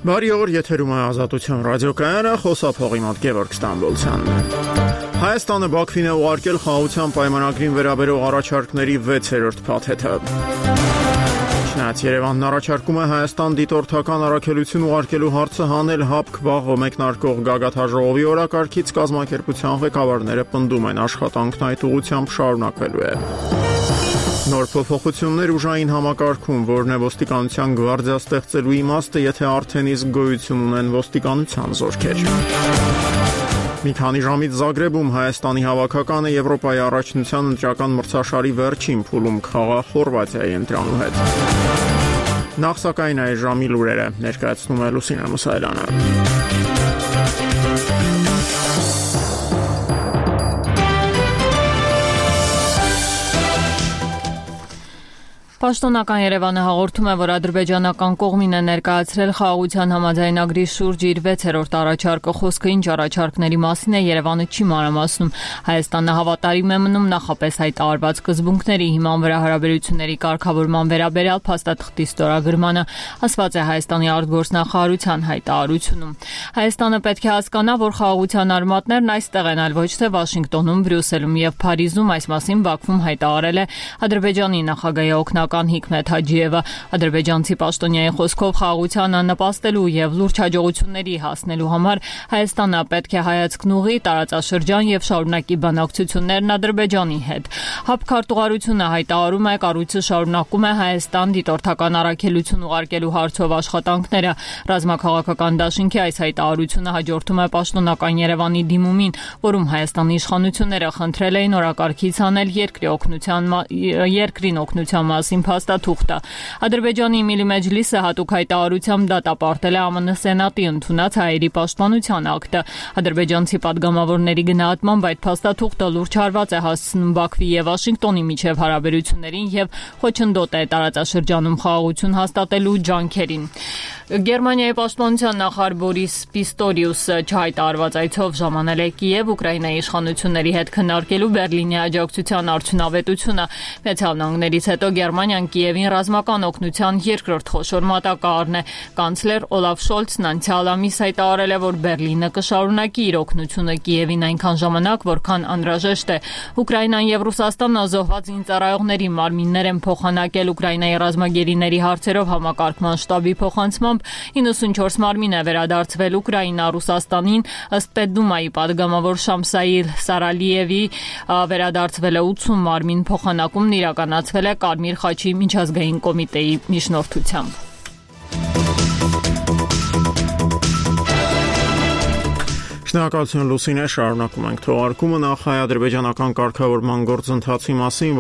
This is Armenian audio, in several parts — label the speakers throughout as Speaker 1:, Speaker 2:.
Speaker 1: Բարի օր, եթերում է Ազատություն ռադիոկայանը, խոսափողի մոտ Գևորգ Ստամբոլցյանն է։ Հայաստանը Բաքվին է ուղարկել խաղաղության պայմանագրին վերաբերող առաջարկների 6-րդ փաթեթը։ Չնայած Երևանն առաջարկում է Հայաստան դիտորդական առաքելություն ուղարկելու հարցը հանել ՀԱՊԿ վաղ մեկնարկող գագաթաժողովի օրակարգից, կազմակերպության ղեկավարները պնդում են աշխատանքն այդ ուղղությամբ շարունակվելու է։ Նոր փոփոխություններ ուժային համակարգում, որն է ոստիկանության գվարդիա ստեղծելու իմաստը, եթե արդեն իսկ գոյություն ունեն ոստիկանության զորքեր։ Մի քանի ժամից Զագրեբում Հայաստանի հավաքականը Եվրոպայի առաջնության ընտրական մրցաշարի վերջին փուլում կխաղա Խորվաթիայի ընտրանու հետ։ Նախ սակայն այս ժամի լուրերը ներկայացնում է Լուսինե Մուսայելյանը։
Speaker 2: Պաշտոնական Երևանը հաղորդում է, որ ադրբեջանական կողմին է ներկայացրել խաղաղության համաձայնագրի շուրջ իր 6-րդ առաջարկը, խոսքը ինչ առաջարկների մասին է, Երևանը չի մանրամասնում։ Հայաստանը հավատարիմ է մնում նախապես հայտարարված սկզբունքների հիման վրա հարաբերությունների կարգավորման վերաբերյալ փաստաթղթի ստորագրմանը, ասված է Հայաստանի արտգործնախարարության հայտարարությունում։ Հայաստանը պետք է հասկանա, որ խաղաղության արմատներն այստեղ են, այլ ոչ թե Վաշինգտոնում, Բրյուսելում եւ Փարիզում, այս մասին Բաքվում հայտարարել է Ադրբեջանի նախագահի Հիկմետ Հաջիևը։ Ադրբեջանցի պաշտոնյայի խոսքով խաղաղությանը նպաստելու եւ լուրջ հաջողությունների հասնելու համար Հայաստանը պետք է հայացքն ուղղի տարածաշրջան եւ շարունակի բանակցություններն Ադրբեջանի հետ։ ՀԱՊԿ քարտուղարությունը հայտարարում է, կառույցը շարունակում է Հայաստան դիտորդական առաքելություն ուղարկելու հարցով աշխատանքները։ Ռազմաքաղաքական դաշինքի այս հայտարարությունը հաջորդում է պաշտոնական Երևանի դիմումին, որում Հայաստանի իշխանությունները խնդրել էին օրակարգից անել երկրին օգնության մասին փաստաթուղթը։ Ադրբեջանի Միլի Մեջլիսը հատուկ հայտարարությամբ դատապարտել է ԱՄՆ Սենատի ընդունած հայերի պաշտպանության ակտը։ Ադրբեջանցի падգամավորների գնահատմամբ այդ փաստաթուղթը լուրջ հարված է հասցնում Բաքվի եւ Վաշինգտոնի միջև հարաբերություններին եւ խոչընդոտ է տարածաշրջանում խաղաղություն հաստատելու ջանքերին։ Գերմանիայի պաշտպանության նախարար Բորիս Պիստորիուսը չհայտարարված այցով ժամանել է Կիև Ուկրաինայի իշխանությունների հետ քննարկելու Բերլինի աջակցության արդյունավետությունը։ Միացյալ Նահանգներից հետո Գերմանիան Կիևին ռազմական օգնության երկրորդ խոշոր մատակարարն է։ Կանցլեր Օլաֆ Շոլցն անցյալ ամիս հայտարարել է, որ Բերլինը կշարունակի իր օգնությունը Կիևին այնքան ժամանակ, որքան անհրաժեշտ է։ Ուկրաինան եւ Ռուսաստանը զոհված զինծառայողների մարմիններ են փոխանակել Ուկրաինայի ռազմագերիների հարցերով համակարգման շտաբի փոխանցմամբ 94 մարմին է վերադարձվել Ուկրաինա Ռուսաստանին, ըստ Պետդումայի падգամավոր Շամսայիլ Սարալիևի վերադարձվել է 80 մարմին, փոխանակումն իրականացվել է Կարմիր խաչի միջազգային կոմիտեի միջնորդությամբ։
Speaker 1: Շնորհակալություն Լուսինե, շարունակում ենք թողարկումը նախ հայ-ադրբեջանական կարգավորման գործընթացի մասին,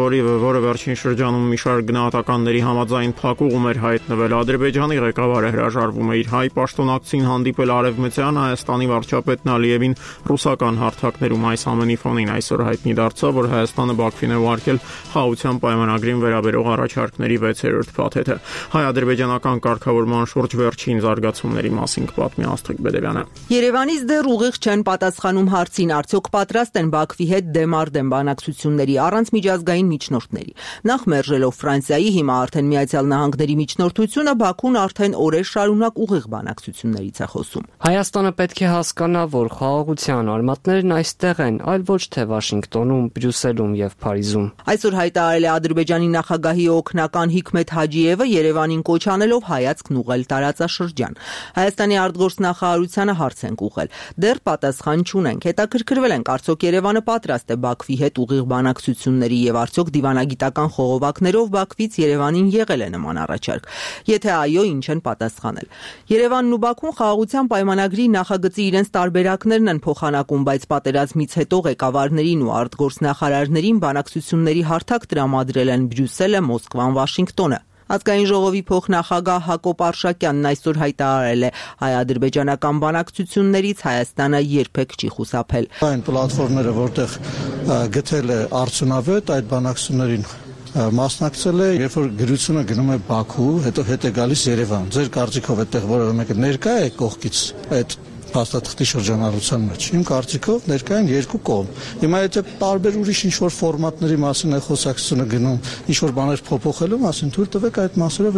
Speaker 1: որը վերջին շրջանում մի շարք գնահատականների համաձայն փակուղում էր հայտնվել։ Ադրբեջանի ղեկավարը հրաժարվում է իր հայ պաշտոնակցին հանդիպել արևմտյան Հայաստանի վարչապետն Ալիևին ռուսական հարթակներում։ Այս ամենի ֆոնին այսօր հայտնի դարձավ, որ Հայաստանը Բաքվին է ուղարկել խաղաղության պայմանագրին վերաբերող առաջարկների 6-րդ փաթեթը։ Հայ-ադրբեջանական կարգավորման շուրջ վերջին զարգացումների մասին կպատմի Աստղիկ Բեդևյանը։
Speaker 3: Երևանից դեռ ուղիղ չեն պատասխանում հարցին, արդյոք պատրաստ են Բաքվի հետ դեմ բանակցությունների առանց միջազգային միջնորդների։ Նախ մերժելով Ֆրանսիայի, հիմա արդեն Միացյալ Նահանգների միջնորդությունը, Բաքուն արդեն օրեր շարունակ ուղիղ բանակցություններից է խոսում։
Speaker 4: Հայաստանը պետք է հասկանա, որ խաղաղության արմատներն այստեղ են, այլ ոչ թե Վաշինգտոնում, Բրյուսելում եւ Փարիզում։
Speaker 3: Այսօր հայտարարել է Ադրբեջանի նախագահի օգնական Հիկմետ Հաջիևը, Երևանին կոչ անելով հայացքն ուղղել տարածաշրջան։ Հայաստանի արտգործնախարարությանը հարց ենք ուղղել։ Դեռ պատասխան չունենք։ Հետաքրքրվել ենք, արդյոք Երևանը պատրաստ է Բաքվի հետ ուղիղ բանակցությունների եւ արդյոք դիվանագիտական խողովակներով Բաքվից Երևանին եղել է նման առաջարկ։ Եթե այո, ինչ են պատասխանել։ Երևանն ու Բաքուն խաղաղության պայմանագրի նախագծի իրենց տարբերակներն են փոխանակում, բայց պատերազմից հետո ղեկավարներին ու արտգործնախարարներին բանակցությունների հարթակ տրամադրել են Բրյուսելը, Մոսկվան, Վաշինգտոնը։ Ազգային ժողովի փոխնախագահ Հակոբ Արշակյանն այսօր հայտարարել է, հայ-ադրբեջանական բանակցություններից Հայաստանը երբեք չի խուսափել։
Speaker 5: Այն պլատֆորմները, որտեղ գտել է արդյունավետ, այդ բանակցություններին մասնակցել է, երբ որ գրությունը գնում է Բաքու, հետո հետ է գալիս Երևան։ Ձեր կարծիքով այդտեղ որևէ մեկը ներկա է կողքից այդ փաստաթղթի շրջանառության մեջ։ Իմ կարծիքով ներկային երկու կողմ։ Հիմա եթե տարբեր ուրիշ ինչ-որ ֆորմատների մասին է խոսակցությունը գնում, ինչ-որ բաներ փոփոխելու մասին, թույլ տվեք այդ մասերով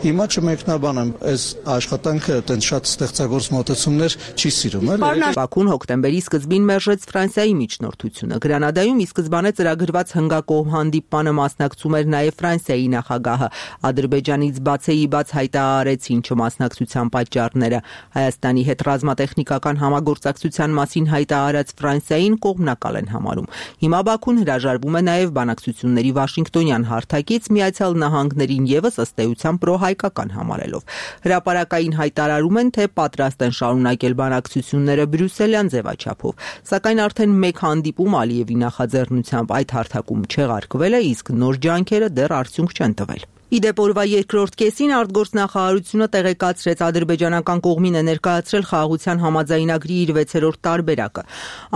Speaker 5: հիմա չմեկնաբանեմ, այս աշխատանքը այդպես շատ ստեղծագործ մոտեցումներ չի սիրում, էլի։
Speaker 3: Բաքուն հոկտեմբերի սկզբին մերժեց Ֆրանսիայի միջնորդությունը։ Գրանադայում ի սկզբանե ծրագրված հնգակողմ հանդիպմանը մասնակցում էր նաև Ֆրանսիայի նախագահը։ Ադրբեջանից բացեի բաց հայտարարեցին չմասնակցության պատճառները։ Հայաստանի հետ ռազմատեխնիկական համագործակցության մասին հայտարարած Ֆրանսիային կողմնակալ են համարում։ Հիմա Բաքուն հրաժարվում է նաև բանակցությունների Վաշինգտոնյան հարթակից Միացյալ Նահանգներին եւս ըստ էության պրոհայկական համարելով։ Հրապարակային հայտարարում են, թե պատրաստ են շարունակել բանակցությունները բրյուսելյան ձևաչափով, սակայն արդեն մեկ հանդիպում Ալիևի նախաձեռնությամբ այդ հարթակում չեղարկվել է, իսկ նոր ջանքերը դեռ արդյունք չեն տվել։ Իդեպ օրվա երկրորդ կեսին արտգործնախարարությունը տեղեկացրեց ադրբեջանական կողմին է ներկայացրել խաղաղության համաձայնագրի իր 6-րդ տարբերակը։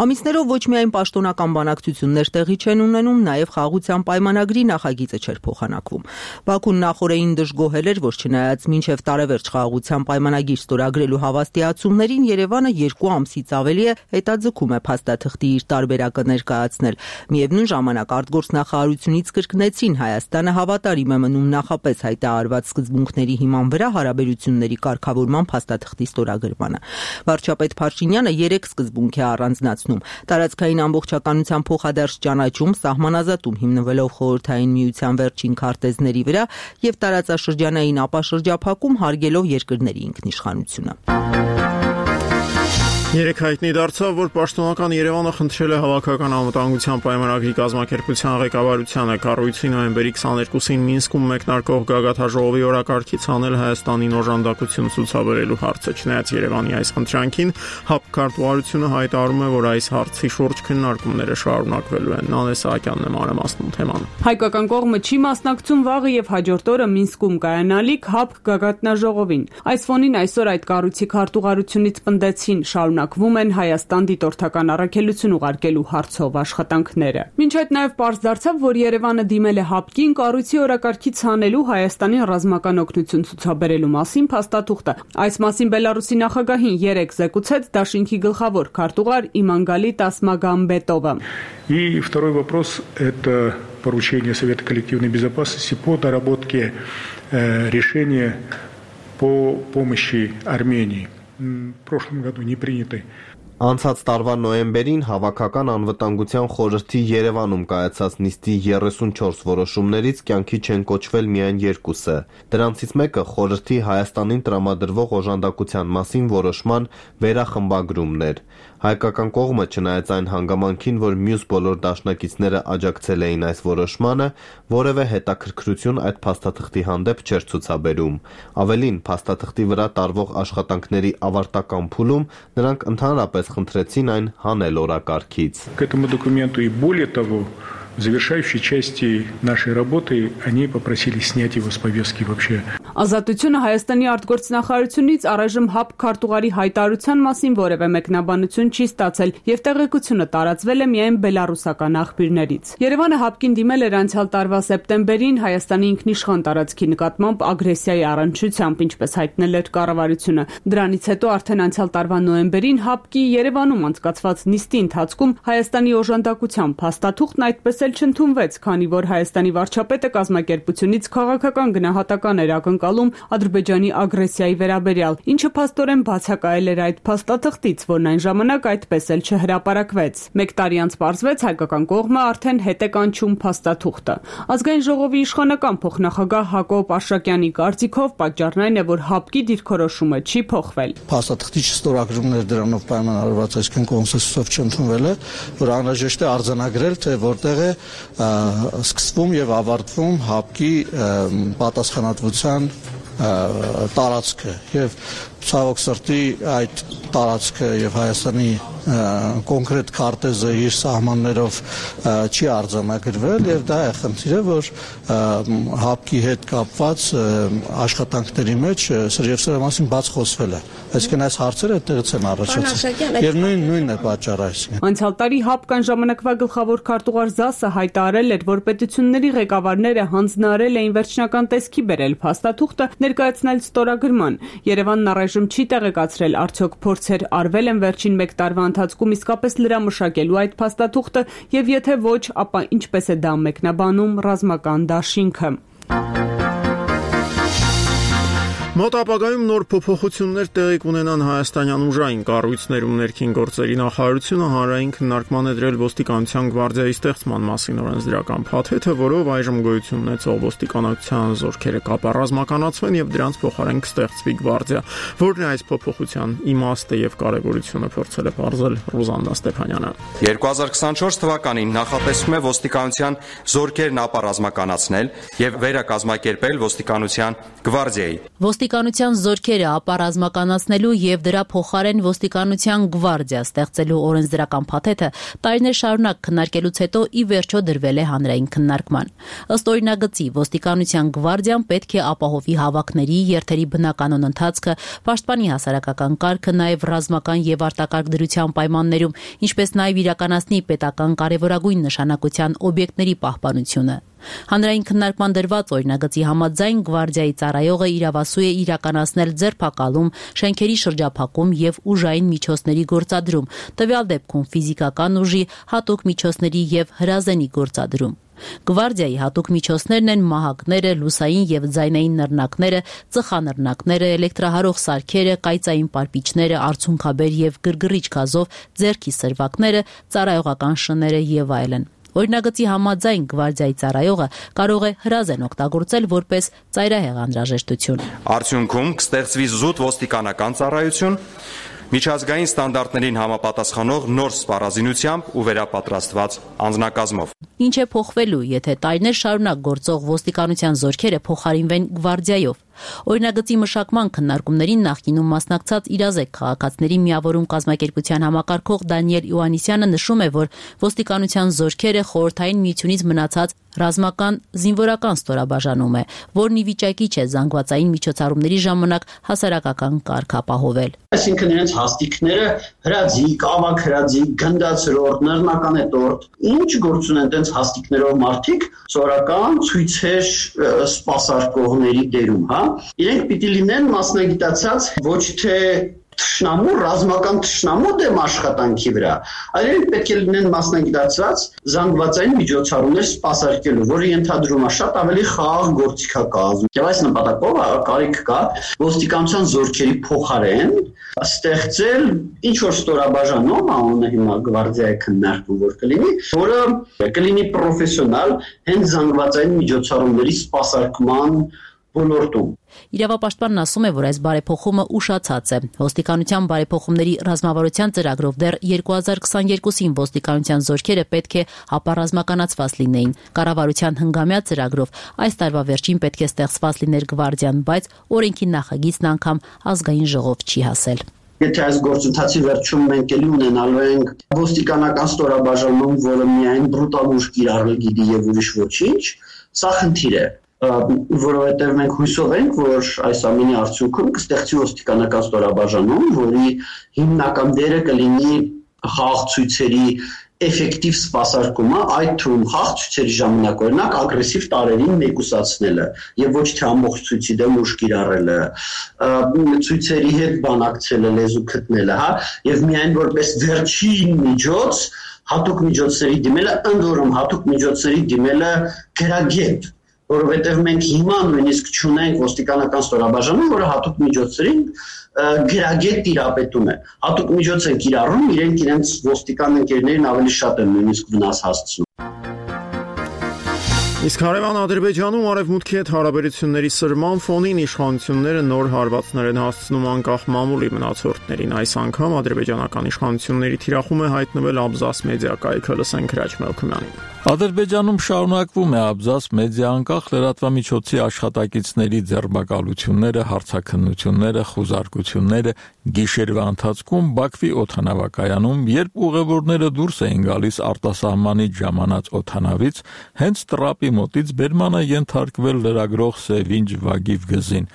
Speaker 3: Ամիսներով ոչ միայն պաշտոնական բանակցություններ տեղի չեն ունենում, նաև խաղաղության պայմանագրի նախագիծը չէր փոխանակվում։ Բաքուն նախորդին դժգոհել էր, որ չնայած մինչև տարեվերջ խաղաղության պայմանագիր ստորագրելու հավաստիացումներին, Երևանը 2 ամսից ավելի է հետաձգում է փաստաթղթի իր տարբերակը ներկայացնել։ Միևնույն ժամանակ արտգործնախարարությունից կրկնեցին Հայաստանը հավատարիմ է մնում նախապես հայտարարված սկզբունքների հիման վրա հարաբերությունների կարգավորման փաստաթղթի ստորագրմանը։ Վարչապետ Փաշինյանը 3 սկզբունք է առանձնացնում՝ տարածքային ամբողջականության փոխադարձ ճանաչում, սահմանազատում հիմնվելով Խորհրդային Միության վերջին քարտեզների վրա եւ տարածաշրջանային ապաշրջափակում հարգելով երկրների ինքնիշխանությունը։
Speaker 1: Երեք հայտնի դարձավ, որ պաշտոնական Երևանը խնդրել է Հավաքական անվտանգության պայմանագրի կազմակերպության ղեկավարությանը կառույցի նոյեմբերի 22-ին Մինսկում մեկնարկող գագաթաժողովի օրակարգից հանել Հայաստանին օժանդակություն ցուցաբերելու հարցը։ Չնայած Երևանի այս խնդրանքին, ՀԱՊ քարտուղարությունը հայտարարում է, որ այս հարցի շուրջ քննարկումները շարունակվելու են։ Նանե Սահակյանն է մանրամասնում թեման։
Speaker 6: Հայկական կողմը չի մասնակցում վաղը եւ հաջորդ օրը Մինսկում կայանալիք ՀԱՊ գագաթնաժողովին։ Այս ֆոնին այսօր այդ կառույցի քարտուղարությունից պնդեցին շարունակվում են Հայաստան դիտորդական առաքելություն ուղարկելու հարցով աշխատանքները։ Մինչ այդ նաև պարզ դարձավ, որ Երևանը դիմել է ՀԱՊԿ-ին կառույցի օրակարգից հանելու Հայաստանին ռազմական օգնություն ցուցաբերելու մասին փաստաթուղթը։ Այս մասին Բելարուսի նախագահին 3 զեկուցեց Դաշինքի գլխավոր քարտուղար Իմանգալիտ Ասմագամբետովը։
Speaker 7: И второй вопрос – это поручение Совета коллективной безопасности по доработке решения по помощи Армении. В прошлом году не принятой.
Speaker 8: Անցած տարվա նոյեմբերին Հավաքական անվտանգության խորհրդի Երևանում կայացած նիստի 34 որոշումներից կյանքի չեն կոչվել միայն 2-ը։ Դրանցից մեկը խորհրդի Հայաստանին տրամադրվող օժանդակության մասին որոշման վերախմբագրումն էր։ Հայկական կողմը, չնայած այն հանգամանքին, որ մյուս բոլոր դաշնակիցները աջակցել էին այս որոշմանը, որևէ հետաքրքրություն այդ փաստաթղթի հանդեպ չէր ցուցաբերում։ Ավելին, փաստաթղթի վրա տարվող աշխատանքների ավարտական փուլում նրանք ընդհանրապես խնդրեցին այն հանել օրակարգից։
Speaker 7: К этому документу и более того, в завершающей части нашей работы они попросили снять его с повестки вообще.
Speaker 6: Ազատությունը Հայաստանի արտգործնախարարությունից առայժմ ՀԱՊ քարտուղարի հայտարարության մասին որևէ մեկնաբանություն չի ստացել եւ տեղեկությունը տարածվել է միայն բելարուսական աղբյուրներից։ Երևանը ՀԱՊԿ-ին դիմել էր անցյալ տարվա սեպտեմբերին Հայաստանի ինքնիշխան տարածքի նկատմամբ ագրեսիայի առնչությամբ, ինչպես հայտնել էր կառավարությունը։ Դրանից հետո արդեն անցյալ տարվա նոյեմբերին ՀԱՊԿ-ի Երևանում անցկացված նիստի ընթացքում Հայաստանի օժանդակության փաստաթուղթն այդպես էլ չընդունվեց, քանի որ Հայաստանի վարչապետը կազմակերպությունից քաղաքական գնահատական էր ակնկալում Ադրբեջանի ագրեսիայի վերաբերյալ, ինչը փաստորեն բացակայել էր այդ փաստաթղթից, որն այն ժամանակ այդպես էլ չհրապարակվեց։ Մեկ տարի անց պարզվեց հայկական կողմը արդեն հետ է կանչում փաստաթուղթը։ Ազգային ժողովի իշխանական փոխնախագահ Հակոբ Արշակյանի կարծիքով պատճառն այն է, որ ՀԱՊԿ-ի դիրքորոշումը չի փոխվել։
Speaker 5: Փաստաթղթի չստորագրումներ դրանով պայմանավորված այսքան կոնսենսուսով չընդունվել է, որ անհրաժեշտ է արձանագրել, թե որտեղ է սկսվում եւ ավարտվում ՀԱՊԿ-ի պատասխանատվության տարածքը եւ ցավոք սրտի այդ տարածքը եւ Հայաստանի կոնկրետ քարտեզը իր սահմաններով չի արձանագրվել եւ դա է խնդիրը, որ հապկի հետ կապված աշխատանքների մեջ եւ սրա մասին բաց խոսվել է։ Այսինքն այս հարցերը այդտեղից են առաջացել։ Եվ նույնն է պատճառը այսինքն։
Speaker 6: Անցյալ տարի հապկան ժամանակվա գլխավոր քարտուղար Զասը հայտարարել էր, որ պետությունների ղեկավարները հանձնարարել էին վերջնական տեսքի բերել փաստաթուղթը ներկայացնել ստորագրման։ Երևանն առայժմ չի տեղեկացրել, արդյոք փորձեր արվել են վերջին 1 տարվա ընթացքում իսկապես լրամշակելու այդ փաստաթուղթը եւ եթե ոչ, ապա ինչպես է դա մեկնաբանում ռազմական դաշինքը։
Speaker 1: Մոտ ապագայում նոր փոփոխություններ տեղի կունենան հայաստանյան ուժային կառույցներում ներքին գործերի նախարարությունը հանրային քննարկման է դրել ոստիկանության գվարդիայի ստեղծման մասին օրենսդրական փաթեթը, որով այժմ գոյություն ունեցող ոստիկանության զորքերը կապառազմականացվեն եւ դրանց փոխարեն կստեղծվի գվարդիա, որն է այս փոփոխության իմաստը եւ կարեւորությունը փորձել է բարձել Ռուզանդա Ստեփանյանը։
Speaker 9: 2024 թվականին նախատեսվում է ոստիկանության զորքերն ապառազմականացնել եւ վերակազմակերպել ոստիկանության գվարդիայի։
Speaker 10: Ոստիկանության զորքերը ապառազմականացնելու եւ դրա փոխարեն ոստիկանության գվարդիա ստեղծելու օրենսդրական փաթեթը տարիներ շարունակ քննարկելուց հետո ի վերջո դրվել է հանրային քննարկման։ Ըստ օրինագծի, ոստիկանության գվարդիան պետք է ապահովի հավաքների, երթերի բնականոն ընթացքը, պաշտպանի հասարակական կարգը, նաեւ ռազմական եւ արտակարգ դրության պայմաններում, ինչպես նաեւ իրականացնի պետական կարևորագույն նշանակության օբյեկտների պահպանությունը։ Հանրային քննարկման դրված օրինագծի համաձայն գվարդիայի ծառայողը իրավասու է իրականացնել ձերբակալում, շենքերի շրջափակում եւ ուժային միջոցների գործադրում, տվյալ դեպքում ֆիզիկական ուժի, հատուկ միջոցների եւ հրազենի գործադրում։ Գվարդիայի հատուկ միջոցներն են մահակները, լուսային եւ ձայնային նռնակները, ծխանռնակները, էլեկտրահարող սարքերը, կայծային պարպիչները, արցունքաբեր եւ գրգռիչ գազով ձեռքի սրվակները, ծառայողական շները եւ այլն։ Օրինագծի համաձայն գվարդիայի ծառայողը կարող է հրազեն օգտագործել որպես ծայրահեղ անհրաժեշտություն։
Speaker 9: Արդյունքում կստեղծվի զուտ ոստիկանական ծառայություն, միջազգային ստանդարտներին համապատասխանող նոր սպառազինությամբ ու վերապատրաստված անձնակազմով։
Speaker 10: Ինչ է փոխվելու, եթե տարիներ շարունակ գործող ոստիկանության զորքերը փոխարինվեն գվարդիայով։ Օրինագծի մշակման քննարկումներին նախկինում մասնակցած իրազեկ քաղաքացիների միավորում կազմակերպության համակարգող Դանիել Իոաննիսյանը նշում է, որ ոստիկանության զորքերը խորհրդային միությունից մնացած ռազմական զինվորական ստորաբաժանում է, որն ի վիճակի չէ զանգվածային միջոցառումների ժամանակ հասարակական կարգ ապահովել։
Speaker 11: Այսինքն իրենց հաստիկները հրաձիգ, ավագ հրաձիգ, գնդացրորդ, նռնականետորդ, ինչ գործ ունեն տենց հաստիկներով մարդիկ սորական ցույցեր սպասարկողների դերում, հա։ Իրենք պիտի լինեն մասնագիտացած ոչ թե թշնամու, ռազմական թշնամու դեմ աշխատանքի վրա, այլ իրենք պետք է լինեն մասնագիտացած զանգվածային միջոցառումներ սպասարկելու, որը ենթադրում է շատ ավելի խաղաղ գործիքակազմ։ Եվ այս նպատակով կարիք կա ոստիկանության զորքերի փոխարեն ստեղծել ինչ որ ստորաբաժանում, անունը հիմա գվարդիայի քննարկում որ կլինի, որը կլինի պրոֆեսիոնալ հենց զանգվածային միջոցառումների սպասարկման ոլորտում։
Speaker 10: Իրավապաշտպանն ասում է, որ այս բարեփոխումը ուշացած է։ Ոստիկանության բարեփոխումների ռազմավարության ծրագրով դեռ 2022-ին ոստիկանության զորքերը պետք է ապառազմականացված լինեին։ Կառավարության հնգամյա ծրագրով այս տարվա վերջին պետք է ստեղծված լիներ գվարդիան, բայց օրենքի նախագիծն անգամ ազգային ժողով չի հասել։
Speaker 11: Եթե այս գործընթացի վերջում մենք էլի ունենալու ենք ոստիկանական ստորաբաժանում, որը միայն բրուտալ ուժ կիրառել գիտի եւ ուրիշ ոչինչ, սա խնդիր է, որովհետեւ մենք հույսով ենք, որ այս ամենի արդյունքում կստեղծի ոստիկանական ստորաբաժանում, որի հիմնական դերը կլինի խաղաղ ցույցերի էֆեկտիվ սպասարկումը, այդ թվում խաղաղ ցույցերի ժամանակ օրինակ ագրեսիվ տարրերին մեկուսացնելը եւ ոչ թե ամբողջ ցույցի դեմ ուժ կիրառելը, ցույցերի հետ բանակցելը, լեզու գտնելը, հա, եւ միայն որպես վերջին միջոց հատուկ միջոցների դիմելը, ընդ որում հատուկ միջոցների դիմելը գրագետ, որովհետեւ մենք հիմա նույնիսկ չունենք ոստիկանական ստորաբաժանում, որը հատուկ միջոցներին գրագետ տիրապետում է։ Հատուկ միջոց են կիրառում, իրենց ոստիկան ընկերներին ավելի շատ են նույնիսկ վնաս հասցնում։
Speaker 1: Իսկ հարևան Ադրբեջանում արևմուտքի հետ հարաբերությունների սրման ֆոնին իշխանությունները նոր հարվածներ են հասցնում անկախ մամուլի մնացորդներին։ Այս անգամ ադրբեջանական իշխանությունների թիրախում է հայտնվել Աբզաս մեդիա կայքը, լսենք Հրաչ Մելքումյանին։
Speaker 12: Ադրբեջանում շարունակվում է Աբզաս մեդիա անկախ լրատվամիջոցի աշխատակիցների ձերբակալությունները, հարցաքննությունները, խուզարկությունները գիշերվա ընթացքում Բաքվի օդանավակայանում, երբ ուղևորները դուրս էին գալիս արտասահմանից ժամանած օդանավից, հենց տրապի մոտից բերման է ենթարկվել լրագրող Սևինջ Վագիվ Գզին։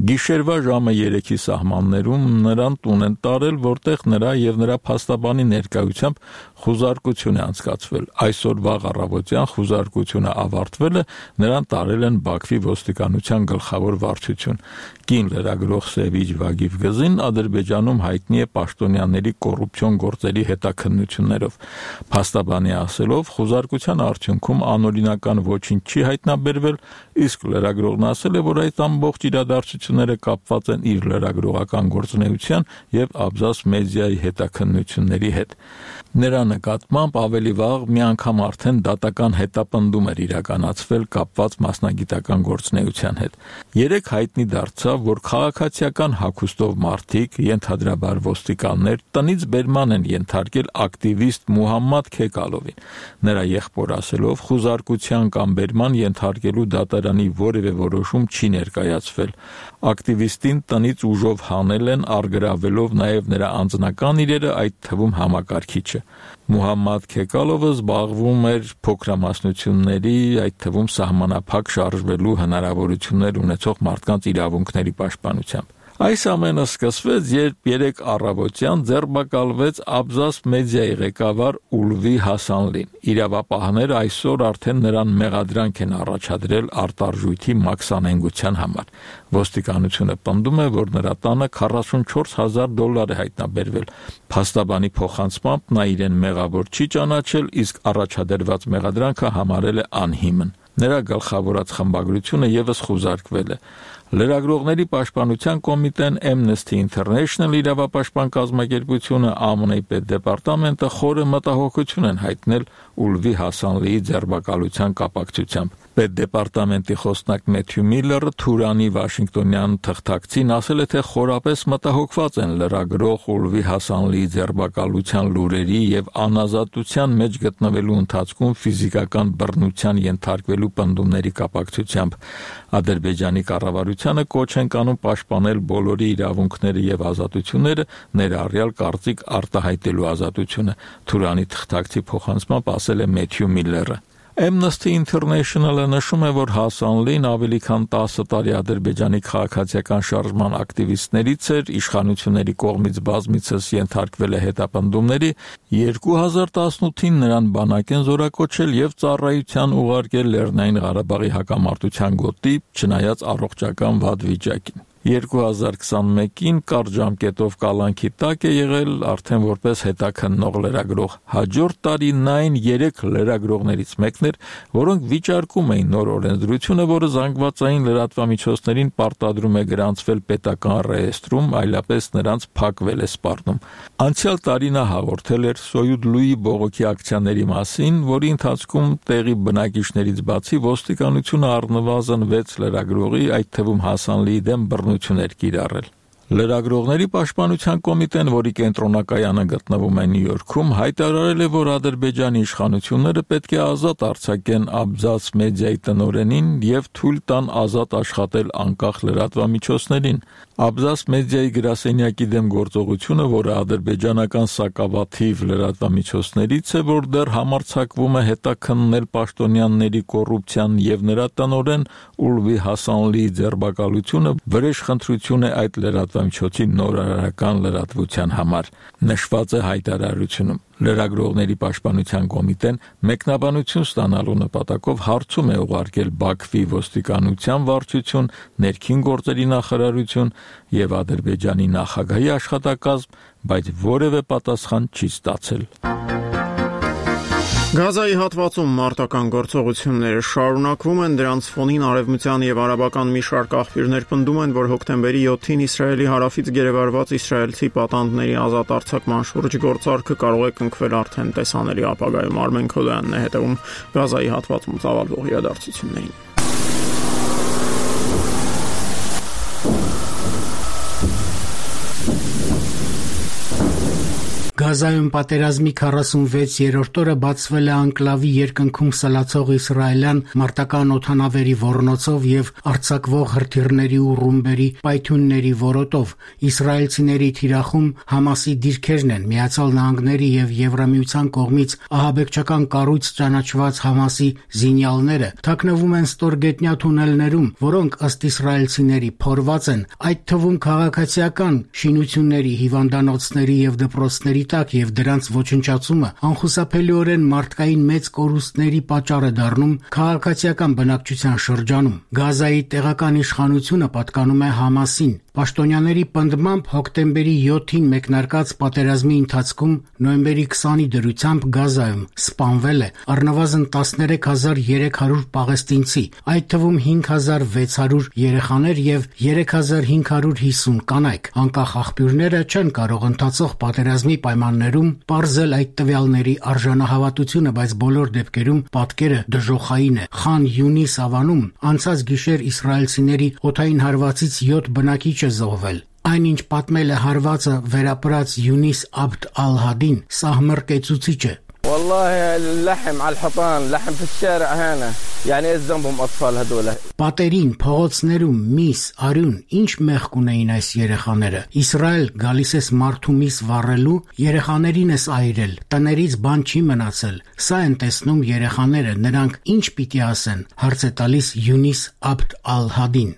Speaker 12: Գիշերվա ժամը 3-ի սահմաններում նրան տուն են տարել, որտեղ նրա եւ նրա փաստաբանի ներկայությամբ խուզարկություն է անցկացվել։ Այսօր վաղ առավոտյան խուզարկությունը ավարտվել է, նրան տարել են Բաքվի ոստիկանության գլխավոր վարչություն։ Կին լրագրող Սևինջ Վագիվ Գզին Ադրբեջանում հայտնի է պաշտոնյաների կոռուպցիոն գործերի հետաքննություններով։ Փաստաբանի ասելով, խուզարկության արդյունքում անօրինական ոչինչ չի հայտնաբերվել, իսկ լրագրողն ասել է, որ այդ ամբողջ իրադարձությունները կապված են իր լրագրողական գործունեության եւ Աբզաս մեդիայի հետաքննությունների հետ։ Նրա նկատմամբ ավելի վաղ մի անգամ արդեն դատական հետապնդում էր իրականացվել կապված մասնագիտական գործունեության հետ։ Երեք հայտնի դարձավ, որ քաղաքացիական հագուստով մարդիկ, ենթադրաբար ոստիկաններ, տնից բերման են ենթարկել ակտիվիստ Մուհամմադ Քեկալովին։ Նրա եղբոր ասելով, խուզարկության կամ բերման ենթարկելու դատարանի որևէ որոշում չի ներկայացվել։ Ակտիվիստին տնից ուժով հանել են, արգրավելով նաև նրա անձնական իրերը, այդ թվում համակարգիչը։ Մուհամմադ Քեկալովը զբաղվում էր փոքրամասնությունների, այդ թվում սահմանափակ շարժվելու հնարավորություններ ունեցող մարդկանց իրավունքների պաշտպանությամբ։ Այս ամենը սկսվեց, երբ 3 առավոտյան ձերբակալվեց Աբզաս մեդիայի ղեկավար Ուլվի Հասանլին։ Իրավապահները այսօր արդեն նրան մեղադրանք են առաջադրել արտարժույթի մաքսանենգության համար։ Ոստիկանությունը պնդում է, որ նրա տանը $44,000 է հայտնաբերվել։ Փաստաբանի փոխանցմամբ նա իրեն մեղավոր չի ճանաչել, իսկ առաջադրված մեղադրանքը համարել է անհիմն։ Նրա գլխավորած խմբագրությունը եւս խուզարկվել է։ Լրագրողների պաշտպանության կոմիտեն, Amnesty International իրավապաշտպան կազմակերպությունը, ԱՄՆ-ի պետդեպարտամենտը խորը մտահոգություն են հայտնել Ուլվի Հասանլիի ձերբակալության կապակցությամբ։ Պետդեպարտամենտի խոսնակ Մեթյու Միլլերը Թուրանի Վաշինգտոնյան թղթակցին ասել է, թե խորապես մտահոգված են լրագրող Ուլվի Հասանլիի ձերբակալության լուրերի եւ անազատության մեջ գտնվելու ընթացքում ֆիզիկական բռնության ենթարկվելու պնդումների կապակցությամբ։ Ադրբեջանի կառավարությանը կոչ են կանում պաշտպանել բոլորի իրավունքները եւ ազատությունները, ներառյալ կարծիք արտահայտելու ազատությունը։ Թուրանի թղթակցի փոխանցմամբ ասել է Մեթյու Միլլերը։ Amnesty International-ը նշում է, որ Հասանլին ավելի քան 10 տարի Ադրբեջանի քաղաքացիական շարժման ակտիվիստներից էր, իշխանությունների կողմից բազմիցս ենթարկվել է հետապնդումների, 2018-ին նրան բանակ են զորակոչել եւ ծառայության ուղարկել Լեռնային Ղարաբաղի հակամարտության գոտի, չնայած առողջական վատ վիճակին։ 2021-ին կարճ ժամկետով կալանքի տակ է եղել արդեն որպես հետաքննող լրագրող։ Հաջորդ տարի նա այն 3 լրագրողներից մեկն էր, որոնք վիճարկում էին նոր օրենսդրությունը, որը զանգվածային լրատվամիջոցներին պարտադրում է գրանցվել պետական ռեեստրում, այլապես նրանց փակվել է սպառնում։ Անցյալ տարի նա հաղորդել էր Սոյուդ Լուի բողոքի ակցիաների մասին, որի ընթացքում տեղի բնակիչներից բացի ոստիկանությունը առնվազն 6 լրագրողի, այդ թվում Հասանլիի դեմ բռնություններ կիրառել։ Լրագրողների պաշտպանության կոմիտեն, որի կենտրոնակայանը գտնվում է Նյու Յորքում, հայտարարել է, որ Ադրբեջանի իշխանությունները պետք է ազատ արձակեն Աբզաս մեդիայի տնօրենին եւ թույլ տան ազատ աշխատել անկախ լրատվամիջոցներին։ Աբզաս մեդիայի գրասենյակի դեմ գործողությունը, որը ադրբեջանական սակավաթիվ լրատվամիջոցներից է, որ դեռ համարձակվում է հետաքննել պաշտոնյաների կոռուպցիան եւ նրա տնօրեն Ուլվի Հասանլիի ձերբակալությունը, վրեժխնդրություն է այդ լրատվամիջոցի նորարարական լրատվության համար, նշված է հայտարարությունում։ Լրագրողների պաշտպանության կոմիտեն մեկնաբանություն ստանալու նպատակով հարցում է ուղարկել Բաքվի ոստիկանության վարչություն, ներքին գործերի նախարարություն եւ Ադրբեջանի նախագահի աշխատակազմ, բայց որևէ պատասխան չի ստացել։
Speaker 1: Գազայի հատվածում մարտական գործողությունները շարունակվում են, դրանց ֆոնին արևմտյան եւ արաբական մի շարք աղբյուրներ պնդում են, որ հոկտեմբերի 7-ին Իսրայելի հարավից գերեվարված իսրայելցի պատանդների ազատ արձակման շուրջ գործարքը կարող է կնքվել արդեն տեսանելի ապագայում։ Արմեն Քոդյանն է հետևում Գազայի հատվածում ծավալվող իրադարձություններին։
Speaker 13: Գազայում պատերազմի 46-րդ օրը բացվել է անկլավի երկնքում սլացող իսրայելյան մարտական օդանավերի ոռնոցով եւ արձակվող հրթիռների ու ռումբերի պայթյունների որոտով։ Իսրայելցիների թիրախում Համասի դիրքերն են, Միացյալ Նահանգների եւ Եվրամիության կողմից ահաբեկչական կառույց ճանաչված Համասի զինյալները թաքնվում են ստորգետնյա թունելներում, որոնք ըստ իսրայելցիների փորված են, այդ թվում քաղաքացիական շինությունների, հիվանդանոցների եւ դպրոցների եւ դրանց ոչնչացումը անխուսափելիորեն մարդկային մեծ կորուստների պատճառ է դառնում քաղաքացիական բնակչության շրջանում։ Գազայի տեղական իշխանությունը պատկանում է Համասին։ Պաշտոնյաների պնդմամբ հոկտեմբերի 7-ին մեկնարկած պատերազմի ընթացքում նոյեմբերի 20-ի դրությամբ Գազայում սպանվել է առնվազն 13300 պաղեստինցի, այդ թվում 5600 երեխաներ եւ 3550 կանայք։ Անկախ աղբյուրները չեն կարող ընթացող պատերազմի պայմաններում պարզել այդ տվյալների արժանահավատությունը, բայց բոլոր դեպքերում պատկերը դժոխային է։ Խան Յունիս ավանում անցած գիշեր իսրայելցիների օդային հարվածից 7 բնակիչ է զոհվել։ Այնինչ պատմել է հարվածը վերապրած Յունիս Աբդ Ալ-Հադին, սահմռկեցուցիչ է։ Պատերին, փողոցներում միս, արյուն, ինչ մեղք ունեին այս երեխաները։ Իսրայել գալիս ես մարդու միս վառելու, երեխաներին ես այրել, տներից բան չի մնացել։ Սա են տեսնում երեխաները, նրանք ինչ պիտի ասեն, հարց է տալիս Յունիս Աբդ Ալ-Հադին։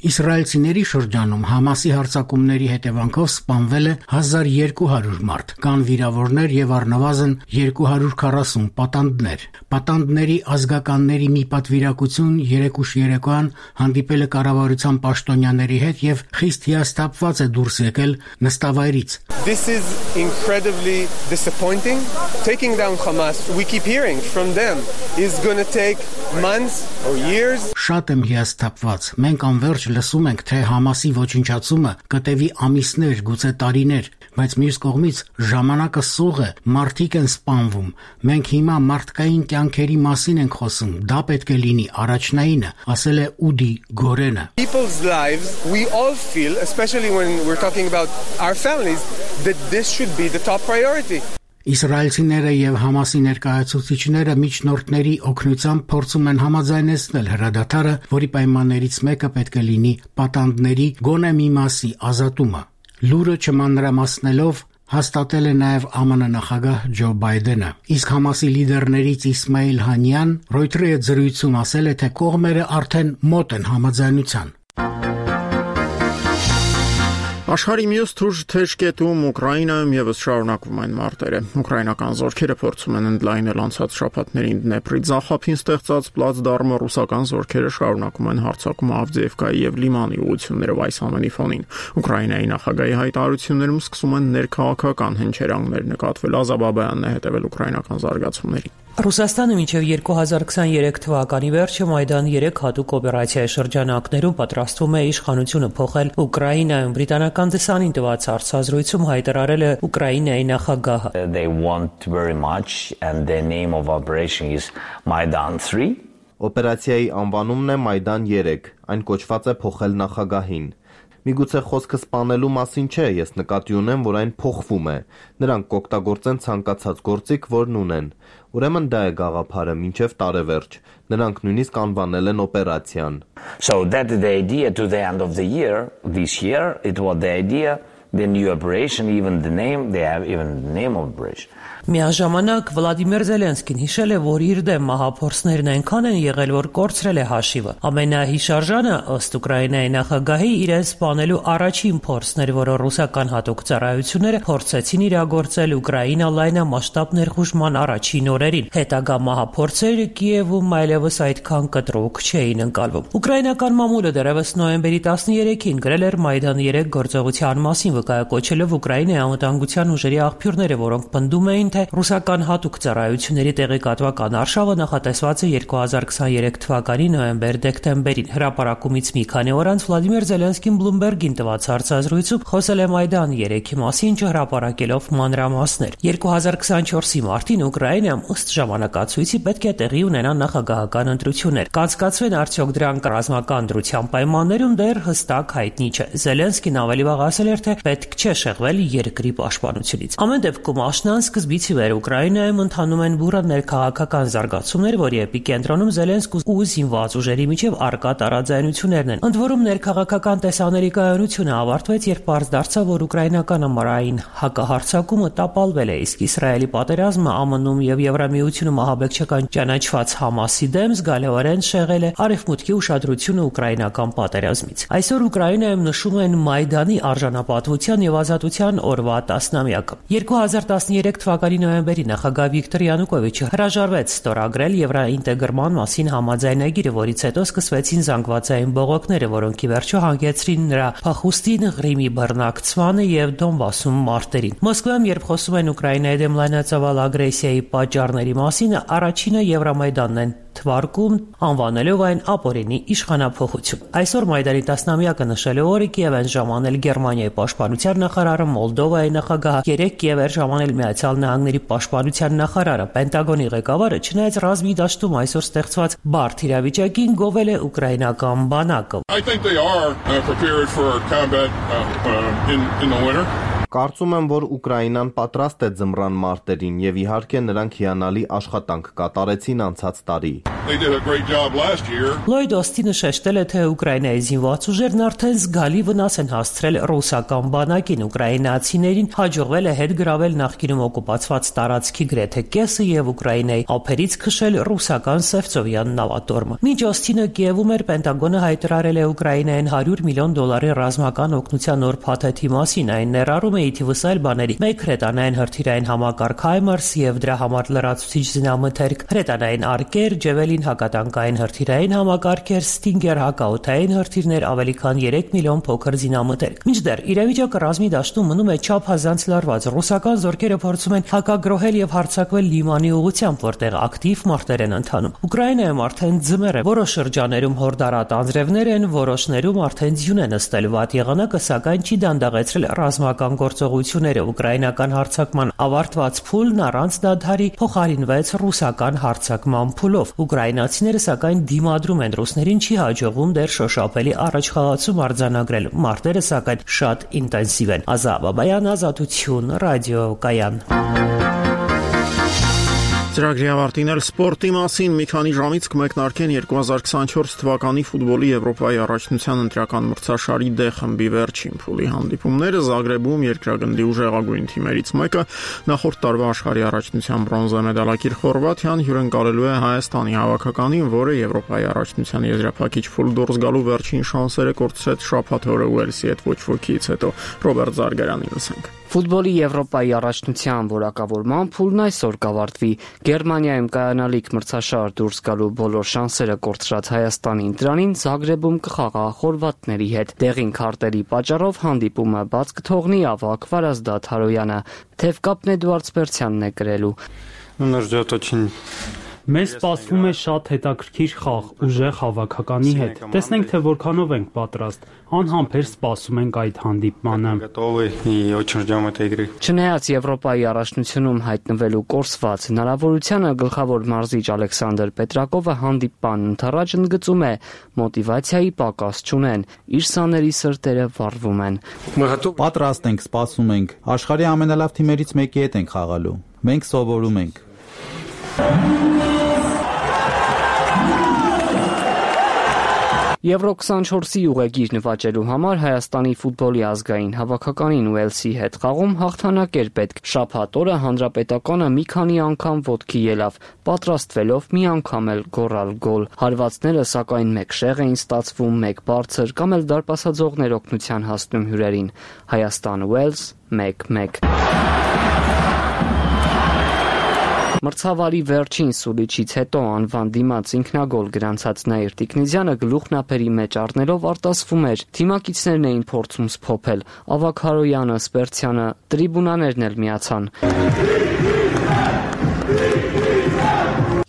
Speaker 13: Իսրայելցիների շրջանում Համասի հարձակումների հետևանքով սպանվել է 1200 մարդ, կան վիրավորներ եւ առնվազն 240 պատանդներ։ Պատանդների ազգականների մի պատվիրակություն երեկուշ երեկոյան հանդիպել է կառավարության պաշտոնյաների հետ եւ խիստ հիասթափված է դուրս եկել նստավայրից։
Speaker 14: This is incredibly disappointing. Taking down Hamas, we keep hearing from them, is going to take months or years.
Speaker 13: Շատ եմ հիասթափված։ Մենք անverջ լսում ենք, թե Համասի ոչնչացումը կտևի ամիսներ, գուցե տարիներ, բայց մյուս կողմից ժամանակը սուղ է, մարդիկ են սպանվում։ Մենք հիմա մարդկային կյանքերի մասին ենք խոսում, դա պետք է լինի առաջնայինը, ասել է Ուդի Գորենը։
Speaker 14: People's lives, we all feel, especially when we're talking about our families, that this should be the top priority.
Speaker 13: Իսրայելցիները եւ Համասի ներկայացուցիչները միջնորդների օգնությամբ փորձում են համաձայնեցնել հրադադարը, որի պայմաններից մեկը պետք է լինի պատանդների գոնե մի մասի ազատումը։ Լուրը չմանրամասնելով հաստատել է նաև ԱՄՆ նախագահ Ջո Բայդենը։ Իսկ Համասի լիդերներից Իսմայիլ Հանյան Ռոյտերի հետ զրույցում ասել է, թե կողմերը արդեն մոտ են համաձայնության։
Speaker 1: Աշխարհի մյուս թուժ թեժկետում Ուկրաինայում եւս շարունակվում են մարտերը։ Ուկրաինական զորքերը փորձում են ընդլայնել անցած շաբաթներին Դնեպրի ձախապին ստեղծած պլացդարմը, ռուսական զորքերը շարունակում են հարձակումը Ավդիևկայի եւ Լիմանի ուղություններով այս ամենի ֆոնին։ Ուկրաինայի նախագահի հայտարարություններում սկսում են ներքաղաքական հնչերանգներ նկատվել։ Ազաբաբյանն է հետևել ուկրաինական զարգացումներին։
Speaker 15: Ռուսաստանը մինչև 2023 թվականի վերջը Մայդան 3 հատուկ օպերացիայի շրջանակներում պատրաստվում է իշխանությունը փոխել Ուկրաինայում։ Բրիտանական դեսանին տված հարցազրույցում հայտարարել է Ուկրաինայի նախագահը։
Speaker 16: They want very much and the name of operation is Maidan 3.
Speaker 8: Օպերացիայի անվանումն է Մայդան 3, այն կոչված է փոխել նախագահին։ Միգուցե խոսքը սպանելու մասին չէ, ես նկատի ունեմ, որ այն փոխվում է։ Նրանք կօգտագործեն ցանկացած գործիք, որն ունեն։ Ուրեմն դա է գաղափարը մինչև տարեվերջ։ Նրանք նույնիսկ անվանել են օպերացիան։
Speaker 16: So that is the idea to the end of the year. This year it was the idea, the new operation, even the name, they have even the name of operation.
Speaker 15: Միաժամանակ Վլադիմիր Զելենսկին հիշել է, որ իր դեմ մահափորձներն այնքան են եղել, որ կորցրել է հաշիվը։ Ամենահիշարժանը ըստ Ուկրաինայի նախագահի իրեն սպանելու առաջին փորձն էր, որը ռուսական հատուկ ծառայությունները փորձեցին իրագործել Ուկրաինա լայնամասշտաբ ներխուժման առաջին օրերին։ Հետագա մահափորձերը Կիևում այլևս այդքան կտրուկ չէին ընկալվում։ Ուկրաինական մամուլը դեռևս նոյեմբերի 13-ին գրել էր Մայդան 3 գործողության մասին, վկայակոչելով Ուկրաինայի անվտանգության ուժերի աղբյուրները, որոնք պնդում էին, թե ռուսական հատուկ ծառայությունների տեղեկատվական արշավը նախատեսված է 2023 թվականի նոյեմբեր-դեկտեմբերին։ Հրապարակումից մի քանի օր անց Վլադիմիր Զելենսկին Bloomberg-ին տված հարցազրույցում խոսել է Մայդան 3-ի մասին, չհրապարակելով մանրամասներ։ 2024-ի մարտին Ուկրաինայում ըստ ժամանակացույցի պետք է տեղի ունենան նախագահական ընտրություններ։ Կանցկացվեն արդյոք դրանք ռազմական դրության պայմաններում դեռ հստակ հայտնի չէ։ Զելենսկին ավելի վաղ ասել էր, թե պետք չէ շեղվել երկրի պաշտպանությունից։ Ամեն դեպքում աշնան սկզբից ի վեր Ուկրաինայում ընթանում են բուռն ներքաղաքական զարգացումներ, որի էպիկենտրոնում Զելենսկու ու զինված ուժերի միջև առկա տարաձայնություններն են։ Ընդ որում ներքաղաքական տեսաների կայունությունը ավարտվեց, երբ պարզ դարձավ, որ ուկրաինական ամառային հակահարձակումը տապալվել է, իսկ Իսրայելի պատերազմը ԱՄՆ-ում եւ Եվրամիությունում ահաբեկչական ճանաչված Համասի դեմ զգալիորեն շեղել է արևմուտքի ուշադրությունը ուկրաինական պատերազմից։ Այսօր Ուկրաինայում նշում են Մայդանի արժանապատվության եւ ազատության օրվա 10-ամյակը։ 2013 թվականի նոյեմբերի նախագահ Վիկտոր Յանուկովիչը հրաժարվեց ստորագրել եվրոինտեգրման մասին համաձայնագիրը, որից հետո սկսվեցին զանգվածային բողոքները, որոնք ի վերջո հանգեցրին նրա փախուստին, Ղրիմի բռնակցմանը եւ Դոնբասում մարտերին։ Մոսկվայում, երբ խոսում են Ուկրաինայի դեմ լայնածավալ ագրեսիայի պատճառների մասին, առաջինը Եվրամայդանն են թվարկում, անվանելով այն ապօրինի իշխանափոխություն։ Այսօր Մայդանի 10-ամյակը նշելու օրը Կիև են ժամանել Գերմանիայի պաշտպանության նախարարը, Մոլդովայի նախագահը, երեք Կիև էր ժամանել Միացյալ Նահանգների պաշտպանության նախարարը։ Պենտագոնի ղեկավարը, չնայած ռազմի դաշտում այսօր ստեղծված բարդ իրավիճակին, գովել է ուկրաինական բանակը։
Speaker 8: Կարծում եմ, որ Ուկրաինան պատրաստ է ձմռան մարտերին եւ իհարկե նրանք հիանալի աշխատանք կատարեցին անցած տարի։
Speaker 15: Լոյդ Օստինը շեշտել է, թե Ուկրաինայի զինված ուժերն արդեն զգալի վնաս են հասցրել ռուսական բանակին։ Ուկրաինացիներին հաջողվել է հետ գրավել նախկինում օկուպացված տարածքի գրեթե կեսը եւ Ուկրաինայի ափերից քշել ռուսական Սևծովյան նավատորմը։ Մինչ Օստինը Կիևում էր, Պենտագոնը հայտարարել է Ուկրաինային $100 միլիոն ռազմական օգնության նոր փաթեթի մասին։ Այն ներառում է թիվս այլ բաների, մեկ հրետանային հրթիռային համակարգ HIMARS եւ դրա համար լրացուցիչ զինամթերք, հրետանային արկեր, Ջևելին հակատանկային հրթիռային համակարգեր, Stinger հակաօդային հրթիռներ, ավելի քան 3 միլիոն փոքր զինամթերք։ Մինչդեռ իրավիճակը ռազմի դաշտում մնում է չափազանց լարված։ Ռուսական զորքերը փորձում են հակագրոհել եւ հարձակվել Լիմանի ուղղությամբ, որտեղ ակտիվ մարտեր են ընթանում։ Ուկրաինայում արդեն ձմեռ է, որոշ շրջաներում հորդարատ անձրևներ են, որոշներում արդեն ձյուն է նստել։ Վատ եղանակը սակայն չի դանդաղեցրել ռազմական գործողությունները։ Ուկրաինական հարձակման ավարտված փուլն առանց դադարի փոխարինվեց ռուսական հարձակման փուլով։ Ուկրաինացիները սակայն դիմադրում են, ռուսներին չի հաջողվում դեռ շոշափելի առաջխաղացում արձանագրել։ Մարտերը սակայն շատ ինտենսիվ են։ Ազատ Բաբայան, Ազատություն, ռադիոկայան։
Speaker 1: Ծրագրի ավարտին էլ սպորտի մասին մի քանի ժամից կմեկնարկեն 2024 թվականի ֆուտբոլի Եվրոպայի առաջնության ընտրական մրցաշարի D խմբի վերջին փուլի հանդիպումները Զագրեբում երկրագնդի ուժեղագույն թիմերից մեկը նախորդ տարվա աշխարհի առաջնության բրոնզե մեդալակիր Խորվաթիան հյուրընկալելու է Հայաստանի հավաքականին, որը Եվրոպայի առաջնության եզրափակիչ փուլ դուրս գալու վերջին շանսերը կորցրեց շաբաթ օրը Ուելսի հետ ոչ ոքից հետո։ Ռոբերտ Զարգարանին լսենք։
Speaker 4: Ֆուտբոլի Եվրոպայի առաջնության որակավորման փուլն այսօր կավարտվի։ Գերմանիայում կայանալիք մրցաշար դուրս գալու բոլոր շանսերը կորցրած Հայաստանին դրանին Զագրեբում կխաղա խորվաթների հետ։ Դեղին քարտերի պատճառով հանդիպումը բաց կթողնի ավագ Վարազդատ Հարոյանը։ Թևկապն Էդուարդ Սպերցյանն է գրելու։
Speaker 17: Մեզ սպասվում է շատ հետաքրքիր խաղ ուժեղ հավաքականի հետ։ Տեսնենք, թե որքանով ենք պատրաստ։ Անհամբեր սպասում ենք այդ հանդիպմանը։
Speaker 4: Չնայած Եվրոպայի առաջնությունում հայտնվելու կորսված հնարավորությանը, գլխավոր մարզիչ Ալեքսանդր Պետրակովը հանդիպման ընթառաջ ընդգծում է, մոտիվացիայի պակաս չունեն, իր սաների սրտերը վառվում են։
Speaker 18: Պատրաստ ենք, սպասում ենք։ Աշխարհի ամենալավ թիմերից մեկի հետ ենք խաղալու։ Մենք սովորում ենք։
Speaker 4: Եվրո 24-ի ուղեգիր նվաճելու համար Հայաստանի ֆուտբոլի ազգային հավաքականին Ուելսի հետ խաղում հաղթանակ էր պետք։ Շաբաթ օրը հանրապետականը մի քանի անգամ ոտքի ելավ, պատրաստվելով մի անգամ էլ գոռալ գոլ։ Հարվածները սակայն մեկ շեղ էին ստացվում, մեկ բարձր կամ էլ դարպասաձողներ օգնության հասնում հյուրերին։ Հայաստան-Ուելս 1-1։ Մրցավարի վերջին սուլիչից հետո անվան դիմաց ինքնագոլ գրանցած Նաիր Տիկնիզյանը գլուխնապերի մեջ առնելով արտասվում էր։ Թիմակիցներն էին փորձում սփոփել։ Ավագ Հարոյանը, Սպերցյանը, տրիբունաներն էլ միացան։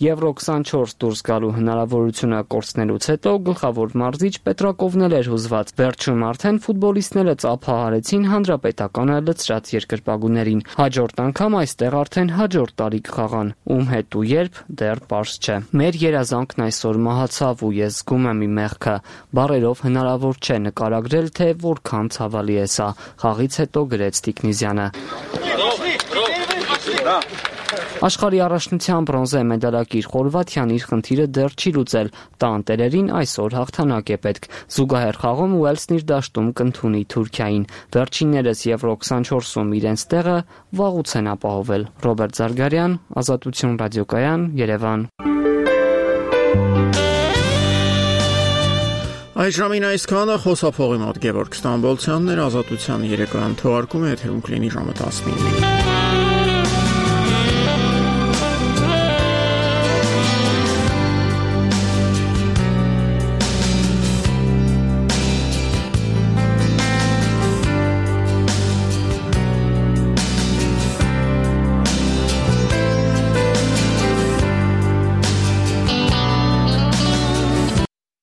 Speaker 4: Եվրո 24 դուրս գալու հնարավորությունը կորցնելուց հետո գլխավոր մարզիչ Պետրակովն էր հուզված։ Վերջում արդեն ֆուտբոլիստները ծափահարեցին հանրապետականը լցրած երկրպագուներին։ Հաջորդ անգամ այստեղ արդեն հաջորդ տարի կխաղան։ Ում հետ ու երբ դեռ պարզ չէ։ Մեր երազանքն այսօր մահացավ ու ես զգում եմ իմ մեղքը։ Բառերով հնարավոր չէ նկարագրել, թե որքան ցավալի է սա։ Խաղից հետո գրեց Տիկնիզյանը։ Աշխարհի առաջնության բրոնզե մեդալակիր Խորվաթիան իր խնդիրը դեռ չի լուծել։ Տանտերերին այսօր հաղթանակ է պետք։ Զուգահեռ խաղում Ուելսն իր դաշտում կընդունի Թուրքիային։ Վերջիններս Եվրո 24-ում իրենց տեղը վաղուց են ապահովել։ Ռոբերտ Զարգարյան, Ազատություն ռադիոկայան, Երևան։
Speaker 1: Այս ժամին այսքանը խոսափողի մոտ Գևորգ Ստամբոլցյանն էր, Ազատության երեկոյան թողարկումը եթերում կլինի ժամը 15-ին։